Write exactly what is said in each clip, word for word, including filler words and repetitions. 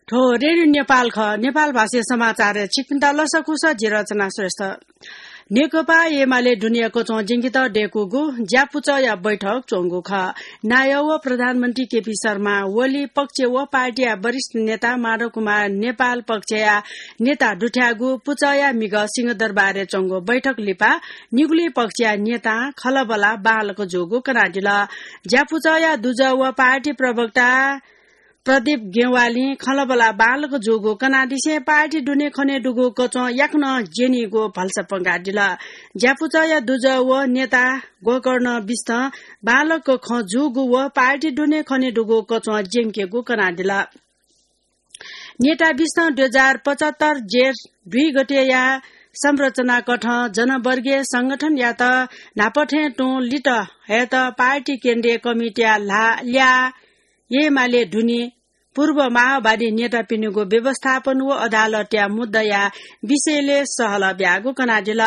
थ्व रेडियो नेपाल खः। नेपाल भाषाया समाचार छिकपिन्त लसकुस, जि रचना श्रेष्ठ। नेकपा एमाले दुने कचं ज्यंकेत दय्कूगु ज्यापुचःया बैठक च्वंगु खः। नायः व प्रधानमन्त्री केपी शर्मा ओली पक्ष व पार्टीया वरिष्ठ नेता माधव कुमार नेपाल पक्षया नेता दुथ्याःगु पुचःया म्हिगः सिंहदरबारय् च्वंगु बैठक लिपा निगुलिं पक्षया नेतां खँल्हाबल्हा बांलाक जूगु कनादिल। ज्यापुचःया दुजः व पार्टी प्रवक्ता प्रदीप गेवालीं खँल्हाबल्हा बांलाक जूगु कनादिसें पार्टी दुने खने दुगु कचं याकनं ज्यनीगु भलसा पंकादिल। ज्यापुचःया दुजः व नेता गोकर्ण बिष्टं बांलाक खँ जूगु व पार्टी दुने खने दुगु कचं ज्यंकेगु कनादिल। नेता बिष्टं दुई हजार पचहत्तर जेठ दुई गतेया संरचना कथं जनवर्गीय संगठनयात न्हापा थें तुं लित हयेत पार्टी केन्द्रीय कमिटीया ल्हा-, ल्याः एमाले दुने पूर्व माओवादी नेतापिनिगु व्यवस्थापन व अदालतया मुद्दाया विषयलय् सहलह ब्याःगु कनादिल।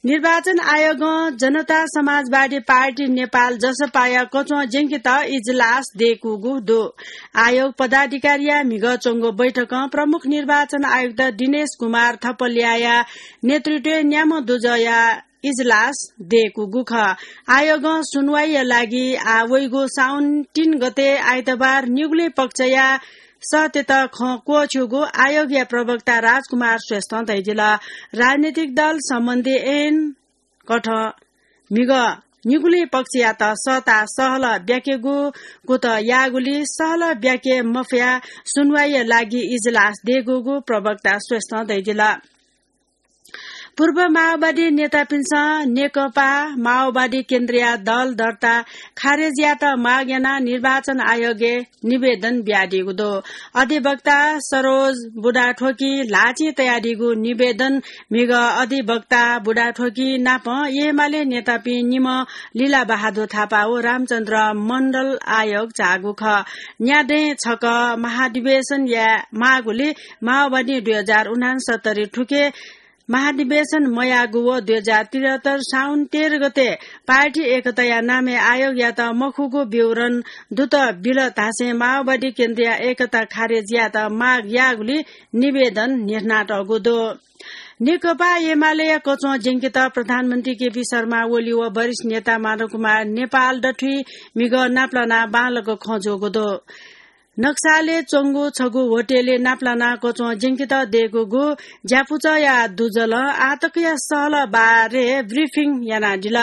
निर्वाचन आयोगं जनता समाजवादी पार्टी नेपाल, जसपाया कचं ज्यंकेत इजलास दय्कूगु दु। आयोग पदाधिकारीया म्हिगः च्वंगु बैठकं प्रमुख निर्वाचन आयुक्त दिनेश कुमार थपलियाया नेतृत्वय् न्याम्ह दुजःया इजलास दय्कूगु खः। आयोगं सुनवाईया लागि आः वइगु साउन तीन गते आइतबार निगुलिं पक्षया सःतेत खँ क्वःछ्यूगु आयोगया प्रवक्ता राजकुमार श्रेष्ठं धयादिल। राजनीतिक दल सम्बन्धी ऐन कथं म्हिगः निगुलिं पक्षयात सःताः सहलह ब्याकेगु कुतः याःगुलिं सहलह ब्याके मफयाः सुनवाईया लागि इजलास दय्कूगु प्रवक्ता श्रेष्ठं धयादिल। पूर्व माओवादी नेतापिन्सं नेकपा माओवादी केन्द्रया दल दर्ता खारेज यायेत माग यानाः निर्वाचन आयोगय् निवेदन बियादीगु दु। अधिवक्ता सरोज बुढाथोकीं ल्हाःचिं तयादीगु निवेदन म्हिगः अधिवक्ता बुढाथोकी नाप एमाले नेतापिं निम्ह लीला बहादुर थापा व रामचन्द्र मण्डल आयोग झाःगु खः। न्यादँय् छकः महाधिवेशन याये माःगुलिं माओवादीं दुई हजार उनान्सत्तरी थुखे महाधिवेशन मयाःगु व दुई हजार त्रिहत्तर साउन तेह्र गते पार्टी एकताया नामय् आयोगयात मखुगु विवरण दुत बिल धासें माओवादी केन्द्रया एकता खारेज यायेत माग याःगुलिं निवेदन न्ह्यथनातःगु दु। नेकपा एमालेया कचं ज्यंकेत प्रधानमन्त्री केपी शर्मा ओली व वरिष्ठ नेता माधव कुमार नेपाल दथुइ म्हिगः नापलानाः बांलाक खँ जूगु दु। नक्सालय् च्वंगु छगू होटलय् नापलानाः कचं ज्यंकेत दय्कूगु ज्यापुचःया दुजलं आःतकया सहलह बारे ब्रिफिङ यानादिल।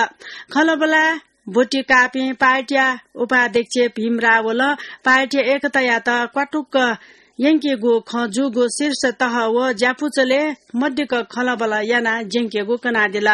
खँल्हाबल्हा ब्वति काःपिं पार्टीया उपाध्यक्ष भीम रावलं पार्टीया एकतायात क्वातुक्क यंकेगु खँ जूगु शीर्ष तह व ज्यापुचलय् मदिक्क खँल्हाबल्हा यानाः ज्यंकेगु कनादिल।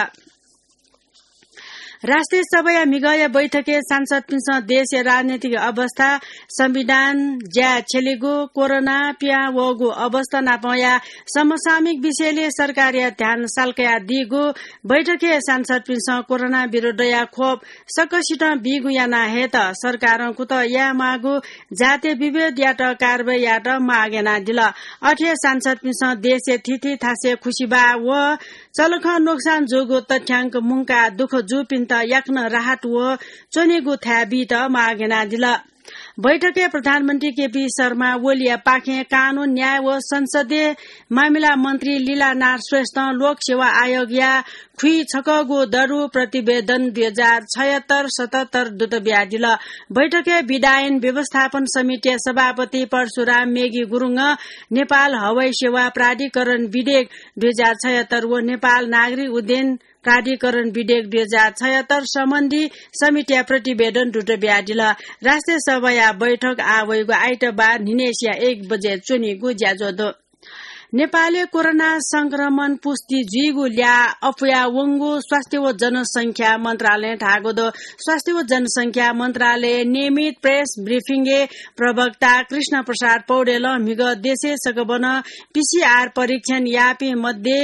राष्ट्रिय सभाया म्हिगःया बैठकय् सांसदपिन्सं देशया राजनीतिक अवस्था, संविधान, ज्याय् छ्यलीगु, कोरोना पिहां वःगु अवस्था नापंया समसामयिक विषयलय् सरकारया ध्यान साल्कयादीगु। बैठकय् सांसदपिन्सं कोरोना विरुद्धया खोप सकसितं बीगु याना हयेत सरकारं कुतः यायेमाःगु जातीय विभेदयात कारवाही यायेत माग यानादिल। अथे हे सांसदपिन्सं देशया थीथी थासय् खुसिबाः व चलखं नोक्सान जूगु तथ्याङ्क मुंकाः दुःख जूपिन्त याकनं राहत व च्वनेगु थाय् बीत माग यानादिल। बैठकय् प्रधानमन्त्री केपी शर्मा ओलीया पाखें कानून, न्याय व संसदीय मामिला मन्त्री लीलानाथ श्रेष्ठं लोकसेवा आयोगया खुइछकःगु दरु प्रतिवेदन दुई हजार छयत्तर सतहत्तर दुत बियादिल। बैठकय् विधायन व्यवस्थापन समितिया सभापति परशुराम मेघी गुरुङं नेपाल हवाई सेवा प्राधिकरण विधेयक दुई हजार छयत्तर व नेपाल नागरिक उड्डयन प्राधिकरण विधेयक दुई हजार छयत्तर सम्बन्धी समितिया प्रतिवेदन दुत बियादिल। राष्ट्रिय सभाया बैठक आः वइगु आइतबार न्हिनय्सिया एक बजे च्वनीगु ज्याझ्वः दु। नेपालय् कोरोना संक्रमण पुष्टि जुइगु ल्याः अप्वया वंगु स्वास्थ्य व जनसंख्या मन्त्रालयं धाःगु दु। स्वास्थ्य व जनसंख्या मन्त्रालयया नियमित प्रेस ब्रिफिङय् प्रवक्ता कृष्ण प्रसाद पौडेलं म्हिगः देशय् सकभनं पीसीआर परीक्षण याःपिं मध्ये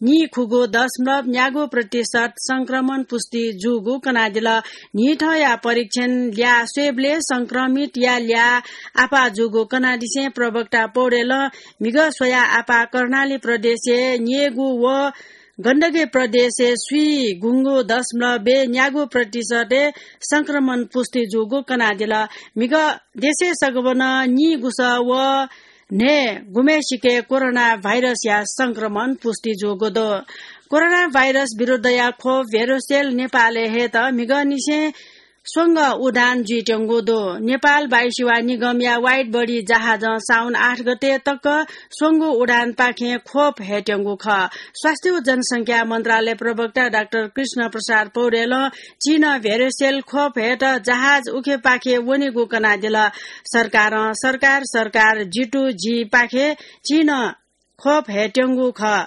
नीखुगू दशमलव न्यागू प्रतिशत संक्रमण पुष्टि जूगु कनादिल। न्हिथंया परीक्षण ल्याः स्वयेबलय् संक्रमितया ल्याः आपाः जूगु कनादिसें प्रवक्ता पौडेलं म्हिगः स्वयाः आपाः कर्णाली प्रदेशय् न्ययेगू व गण्डकी प्रदेशय् स्वीगुंगू दशमलव न्यागू प्रतिशतय् संक्रमण पुष्टि जूगु कनादिल। म्हिगः देशय् सकभनं नीगुसः व न्हय् गुम्हेसिके कोरोना भाइरसया संक्रमण पुष्टि जूगु दु। कोरोना भाइरस विरुद्धया खोप भेरोसेल नेपालय् हयेत म्हिगःनिसें स्वंगः उडान जुइत्यंगु दु। नेपाल वायुसेवा निगमया वाइड बडी जहाजं साउन आठ गते तक स्वंगू उडानपाखें खोप हयेत्यंगु खः। स्वास्थ्य व जनसंख्या मन्त्रालय प्रवक्ता डाक्टर कृष्ण प्रसाद पौडेलं चीनं भेरोसेल खोप हयेत जहाज उखेपाखे वनीगु कनादिल। सरकारं सरकार, सरकार जितु जीपाखे चीनं खोप हयेत्यंगु खः।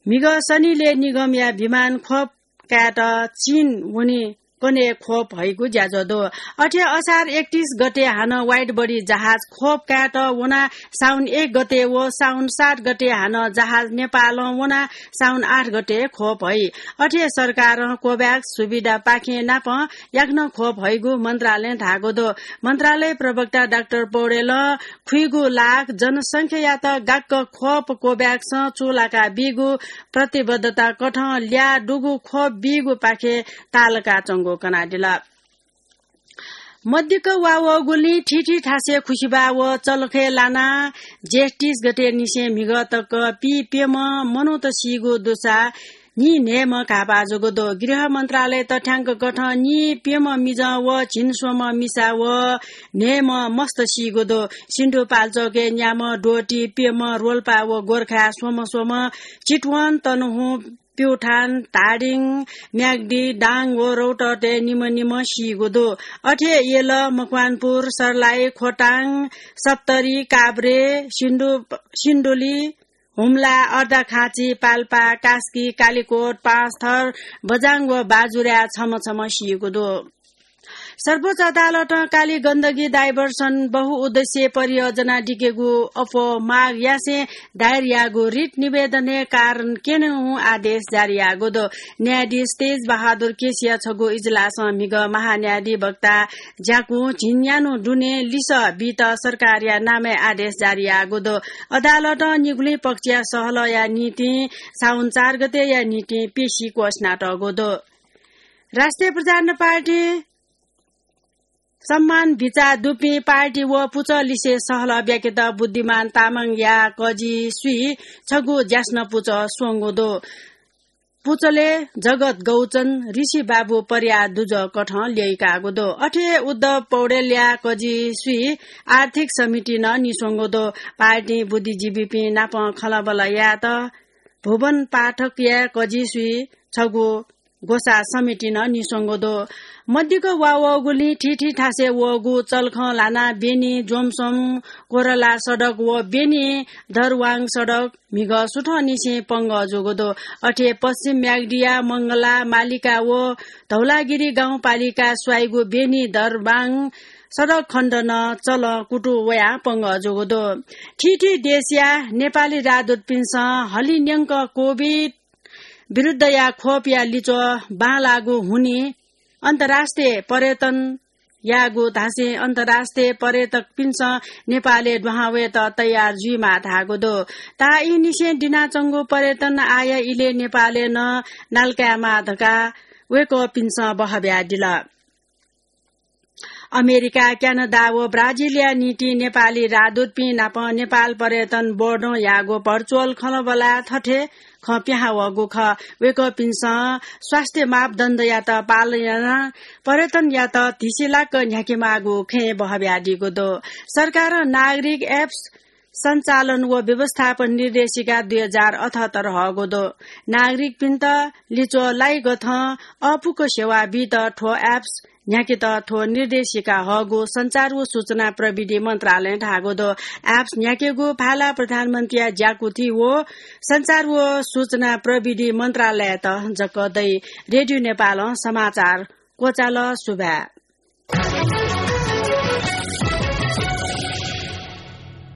म्हिगः शनिलय् निगमया विमान खोप कायेत चीन वने कन्हय् खोप हइगु ज्याझ्वः दु। अथे असार एकतीस गते हानं वाइड बडी जहाज खोप कायेत वनाः साउन एक गते व साउन सात गते हानं जहाज नेपालं वनाः साउन आठ गते खोप हइ। अथे सरकारं कोभ्याक्स सुविधापाखें नापं याकनं खोप हइगु मन्त्रालयं धाःगु दु। मन्त्रालय प्रवक्ता डाक्टर पौडेलं खुइगु लाख जनसंख्यायात गाक्क खोप कोभ्याक्सं चूलाका बीगु प्रतिबद्धता कथं ल्याः दुगु खोप बीगुपाखे तालकाच्वंगु कनादिल। मदिक्क वा वःगुलिं थीथी थासय् खुसिबाः व चलखय् लानाः जेठ तीस गते निसें म्हिगः तक पीप्यम्ह मनूत सीगु दुसा नीन्हय्म्ह घाःपाः जूगु दु। गृह मन्त्रालय तथ्याङ्क कथं नीप्यम्ह मिजं व झिंस्वम्ह मिसा व न्हय्म्ह मस्त सीगु दु। सिन्धुपाल्चोकय् न्याम्ह द्वःति प्यम्ह रोल्पा व गोर्खाय् स्वम्ह स्वम्ह चितवन, तनहुँ, प्युठान, धादिङ, म्याग्दी, दाङ व रौतहतय् निम्ह निम्ह सीगु दु। अथे यल, मकवानपुर, सर्लाही, खोटाङ, सप्तरी, काभ्रे, सिन्धु-, सिन्धुली, हुम्ला, अर्घाखाँची, पाल्पा, कास्की, कालिकोट, पाँचथर, बझाङ व बाजुराय् छम्ह छम्ह सीगु दु। सर्वोच्च अदालतं काली गण्डकी डाइभर्सन बहुउद्देश्य परियोजना दिकेगु अप्वः माग यासें दायर याःगु रिट निवेदनय् कारण क्यनेगु आदेश जारी याःगु दु। न्यायाधीश तेज बहादुर केसीया छगू इजलासं म्हिगः महान्यायाधिवक्ता ज्याकुं झिंन्यान्हु दुने लिसः बीत सरकारया नामय् आदेश जारी याःगु दु। अदालतं निगुलिं पक्षया सहलहया निंतिं साउन चार गतेया निंतिं पेशी क्वःछिनातःगु दु। राष्ट्रिय प्रजातन्त्र पार्टी सम्मान बिचाः दुपिं पार्टी व पुचः लिसे सहलह ब्याकेत बुद्धिमान तामाङया कजिसुइ छगू ज्यासना पुचः स्वंगु दु। पुचलय् जगत गौचन, ऋषि बाबु पर्याः दुजः कथं ल्यइकागु दु। अथे हे उद्धव पौडेलया कजिसुइ आर्थिक समितिं नं निस्वंगु दु। पार्टीं बुद्धिजीवीपिं नाप खँल्हाबल्हा यायेत भुवन पाठकया कजिसुइ छगू ग्वसाः समितिं नं निस्वंगु दु। मदिक्क वा वःगुलिं थीथी थासय् वःगु चलखं ल्हानाः बेनी, जोमसोम, कोरला सडक व बेनी, दरवाङ सडक म्हिगः सुथंनिसें पंगः जूगु दु। अथे पश्चिम म्याग्दीया मंगला, मालिका व धौलागिरी गाउँपालिका स्वाइगु बेनी दरवाङ सडक खण्ड नं चलं कुतुं वयाः पंगः जूगु दु। थीथी देशया नेपाली राजदूतपिन्सं हलिंन्यंक कोभिड विरुद्धया खोपया लिच्वः बांलाःगु हुनिं अन्तर्राष्ट्रिय पर्यटन याःगु धासें अन्तर्राष्ट्रिय पर्यटकपिन्सं नेपालय् दुहां वयेत तयार जुइमाः धाःगु दु। ताःईनिसें दिनाच्वंगु पर्यटन आय इलय् नेपालय् नं नालाकायेमाः धकाः वय्कःपिन्सं बहः बियादिल। अमेरिका, क्यानाडा व ब्राजिलया निंतिं नेपाली राजदूतपिं नाप नेपाल पर्यटन बोर्डं याःगु भर्चुअल खँल्हाबल्हाय् थथे खँ पिहां वःगु खः। वय्कःपिन्सं स्वास्थ्य मापदण्डयात पालन यानाः पर्यटनयात धिसिलाक न्ह्याकेमाःगु खँय् बहः बियादीगु दु। सरकारं नागरिक एप्स सञ्चालन व व्यवस्थापन निर्देशिका दुई हजार अठहत्तर हःगु दु। नागरिकपिन्त लिच्वः लाइगथं अःपुक सेवा बीत थ्व एप्स न्ह्याकेत थ्व निर्देशिका हःगु सञ्चार व सूचना प्रविधि मन्त्रालयं धाःगु दु। एप्स न्ह्याकेगु भाला प्रधानमन्त्रीया ज्याकुथि व सञ्चार व सूचना प्रविधि मन्त्रालययात जक दइ। रेडियो नेपालं समाचार क्वचाल। सुभाय्।